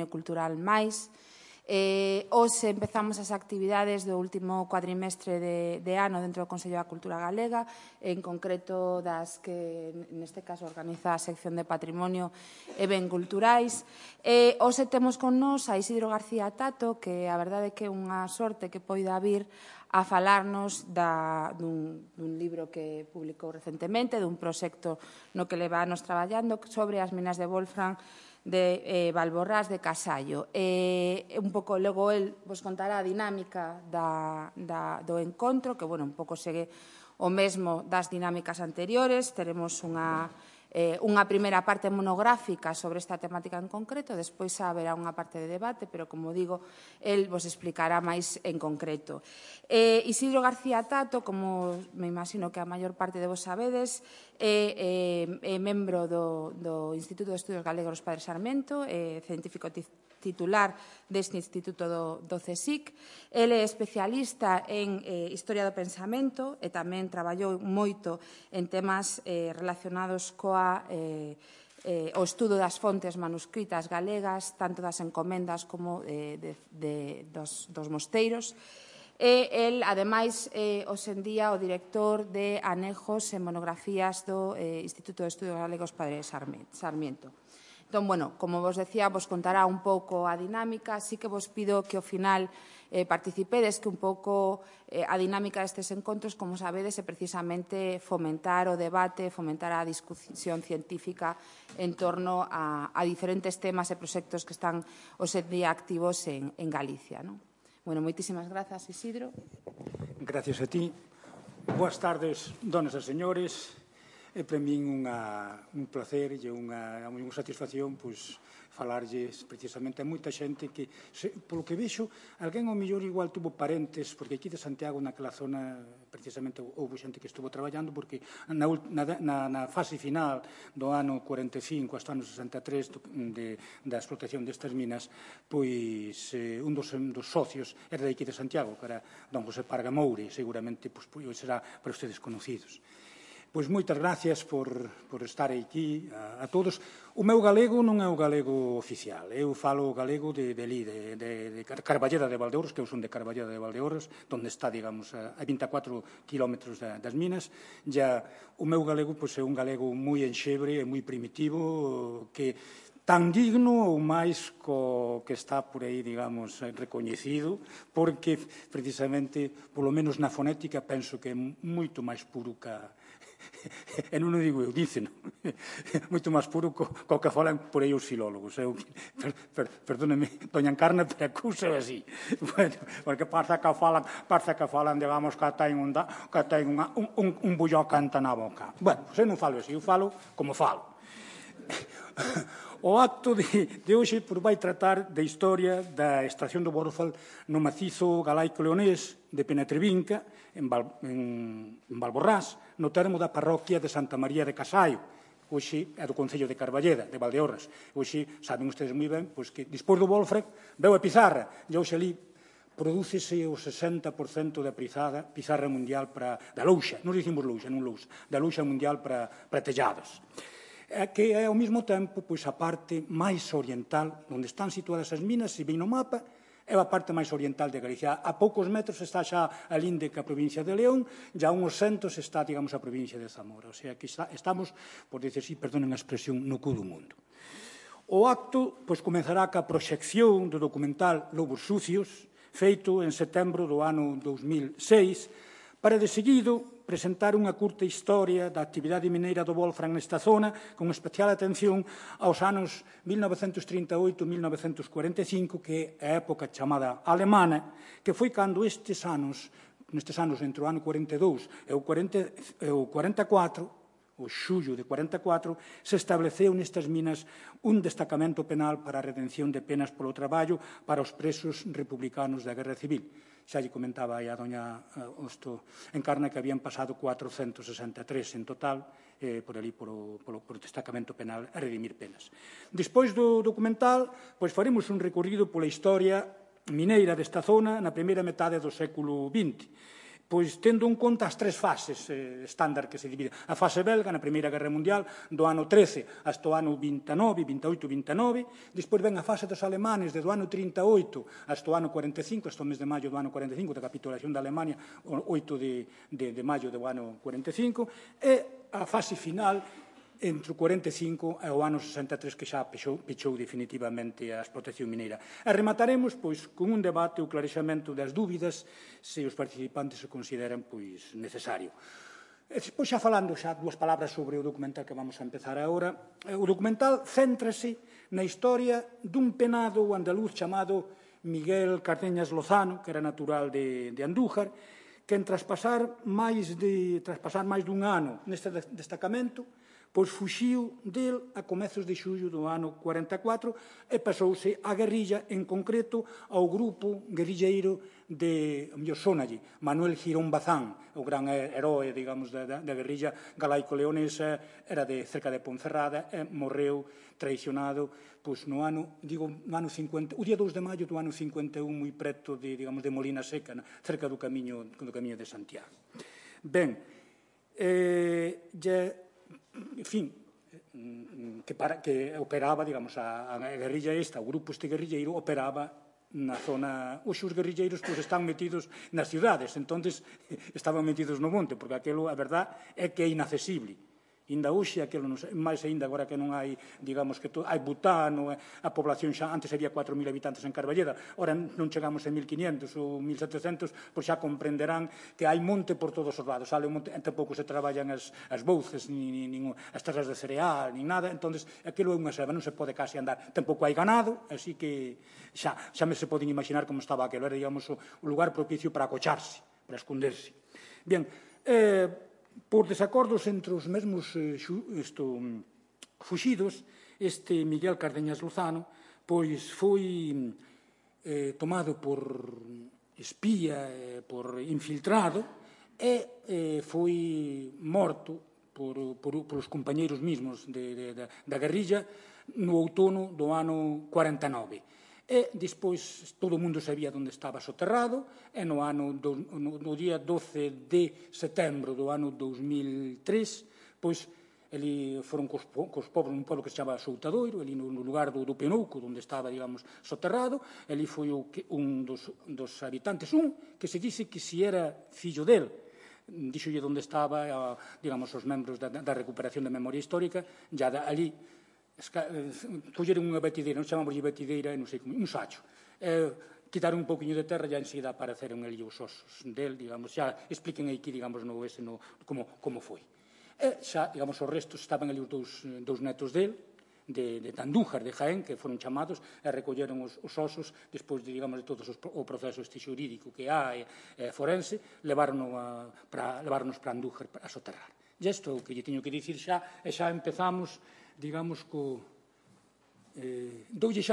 Patrimonio Cultural máis. Hoxe empezamos as actividades do último cuadrimestre de ano dentro do Consello da Cultura Galega, en concreto das que neste caso organiza a sección de Patrimonio e Ben Culturais. Hoxe temos con nós a Isidro García Tato, que a verdade é que é unha sorte que poida vir a falarnos dun libro que publicou recentemente, dun proxecto no que levanos traballando sobre as minas de Wolfram de Valborrás de Casallo. Un pouco, logo, el vos contará a dinámica do encontro, que, bueno, un pouco segue o mesmo das dinámicas anteriores. Teremos unha primeira parte monográfica sobre esta temática en concreto, despois haberá unha parte de debate, pero, como digo, el vos explicará máis en concreto. Isidro García Tato, como me imagino que a maior parte de vos sabedes, é membro do Instituto de Estudios Galegos Padre Sarmiento, científico titular deste instituto do CSIC. Ele é especialista en Historia do Pensamento e tamén traballou moito en temas relacionados o estudo das fontes manuscritas galegas, tanto das encomendas como dos mosteiros. El, ademais, hoxe en día o director de anexos e monografías do Instituto de Estudios Galegos Padre Sarmiento. Entón, bueno, como vos decía, vos contará un pouco a dinámica, así que vos pido que ao final participedes, que un pouco a dinámica destes encontros, como sabedes, é precisamente fomentar o debate, fomentar a discusión científica en torno a diferentes temas e proxectos que están hoxe en día activos en Galicia. Bueno, moitísimas grazas, Isidro. Gracias a ti. Boas tardes, donas e señores. É para min un placer e unha satisfacción falarlles precisamente a moita xente que, polo que vexo, alguén ao mellor igual tuvo parentes, porque aquí de Santiago, naquela zona, precisamente houve xente que estuvo traballando, porque na fase final do ano 45 hasta o ano 63 da explotación destas minas, pois un dos socios era de aquí de Santiago, que era don José Parga Moure, seguramente será para ustedes conocidos. Pois moitas gracias por estar aquí a todos. O meu galego non é o galego oficial. Eu falo o galego de Carballeda de Valdeorras, que eu son de Carballeda de Valdeorras, onde está, digamos, a 24 kilómetros das minas. O meu galego é un galego moi enxebre e moi primitivo, que tan digno ou máis co que está por aí, digamos, recoñecido, porque, precisamente, polo menos na fonética, penso que é moito máis puro e non o digo eu, díceno, moito máis puro co que falan por aí os filólogos. Perdóneme, doña Encarna, pero a cousa é así. Porque parece que falan, digamos, que ten un bulló canta na boca. Bueno, eu non falo así, eu falo como falo. O acto de hoxe vai tratar da historia da estación do Wolfram no macizo galaico-leonés de Penetrevinca, en Valborrás, no termo da parroquia de Santa María de Casallo. Hoxe é do Concello de Carballeda, de Valdeorras. Hoxe, saben ustedes moi ben, que despois do Wolfram veu a pizarra, e hoxe ali prodúcese o 60% da pizarra mundial da louxa, non dicimos louxa, non louxa, da louxa mundial para tellados. Que é, ao mesmo tempo, a parte máis oriental, onde están situadas as minas, se ven no mapa, é a parte máis oriental de Galicia. A poucos metros está xa a linde ca provincia de León, e a uns centos está, digamos, a provincia de Zamora. O sea, que estamos, por dizer así, perdonen a expresión, no cu do mundo. O acto comezará ca proxección do documental Lobos Sucios, feito en setembro do ano 2006, para de seguido presentar unha curta historia da actividade mineira do Wolfram nesta zona, con especial atención aos anos 1938-1945, que é a época chamada alemana, que foi cando nestes anos, entre o ano 42 e o 44, o xullo de 44, se estableceu nestas minas un destacamento penal para a redención de penas polo traballo para os presos republicanos da Guerra Civil. Xa lle comentaba aí a doña Encarna que habían pasado 463 en total por ali, polo destacamento penal a redimir penas. Despois do documental, faremos un recorrido pola historia mineira desta zona na primeira metade do século XX. pois tendo en conta as tres fases estándar que se divide. A fase belga, na Primeira Guerra Mundial, do ano 13 hasta o ano 29, 28, 29. Despois ven a fase dos alemanes, do ano 38 hasta o ano 45, hasta o mes de maio do ano 45, da capitulación da Alemania, o 8 de maio do ano 45, e a fase final entre o 45 e o ano 63, que xa pechou definitivamente a explotación mineira. E remataremos pois con un debate ou clarexamento das dúbidas se os participantes se consideran pois necesario. Pois xa falando xa dúas palabras sobre o documental que vamos a empezar agora. O documental céntrase na historia dun penado andaluz chamado Miguel Cardeñas Lozano, que era natural de Andújar, que en traspasar máis dun ano neste destacamento, pois fuxiu del a comezos de xullo do ano 44 e pasouse á guerrilla, en concreto ao grupo guerrilleiro de, a mellor sonalle, Manuel Girón Bazán, o gran heroe, digamos, da guerrilla galaico-leonesa, era de cerca de Ponferrada e morreu traicionado pois no ano 50, o día 2 de maio do ano 51, moi preto de, digamos, de Molina Seca, cerca do camiño de Santiago. Ben, en fin, que operaba, digamos, a guerrilla esta, o grupo este guerrilleiro operaba na zona. Os guerrilleiros pois están metidos nas cidades, entonces estaban metidos no monte, porque aquilo, a verdad, é que é inaccesible. Inda hoxe, aquilo non sei, máis ainda agora que non hai, digamos, que hai butano, a población xa, antes había 4.000 habitantes en Carballeda, ora non chegamos a 1.500 ou 1.700, pois xa comprenderán que hai monte por todos os lados, sale o monte, tampouco se traballan as bouces, nin as terras de cereal, nin nada, entonces aquilo é unha selva, non se pode case andar, tampouco hai ganado, así que xa me se poden imaginar como estaba aquilo, era, digamos, o lugar propicio para acocharse, para esconderse. Bien, por desacordos entre os mesmos fuxidos, este Miguel Cardeñas Lozano pois foi tomado por espía, por infiltrado, e foi morto por os compañeiros mesmos da guerrilla no outono do ano 49. E despois todo o mundo sabía onde estaba soterrado, e no día 12 de setembro do ano 2003, pois ali foron cos pobos, un pueblo que se chama Soutadoiro, ali no lugar do Penouco, onde estaba, digamos, soterrado. Ali foi un dos habitantes, que se dice que si era fillo del, díxolle onde estaba, digamos, os membros da recuperación da memoria histórica, ya ali colleron unha batideira, non chamamos batideira, non sei como, un sacho, quitaron un pouquinho de terra e enseguida apareceron ali os osos del, digamos, xa expliquen aquí, digamos, como foi. E xa, digamos, os restos estaban ali os dous netos del, de Andújar, de Jaén, que foron chamados e recolleron os osos despois de, digamos, de todo o proceso este xurídico que hai forense, leváronos para Andújar a soterrar. E isto é o que lle teño que dicir xa, e xa empezamos, digamos, doulle xa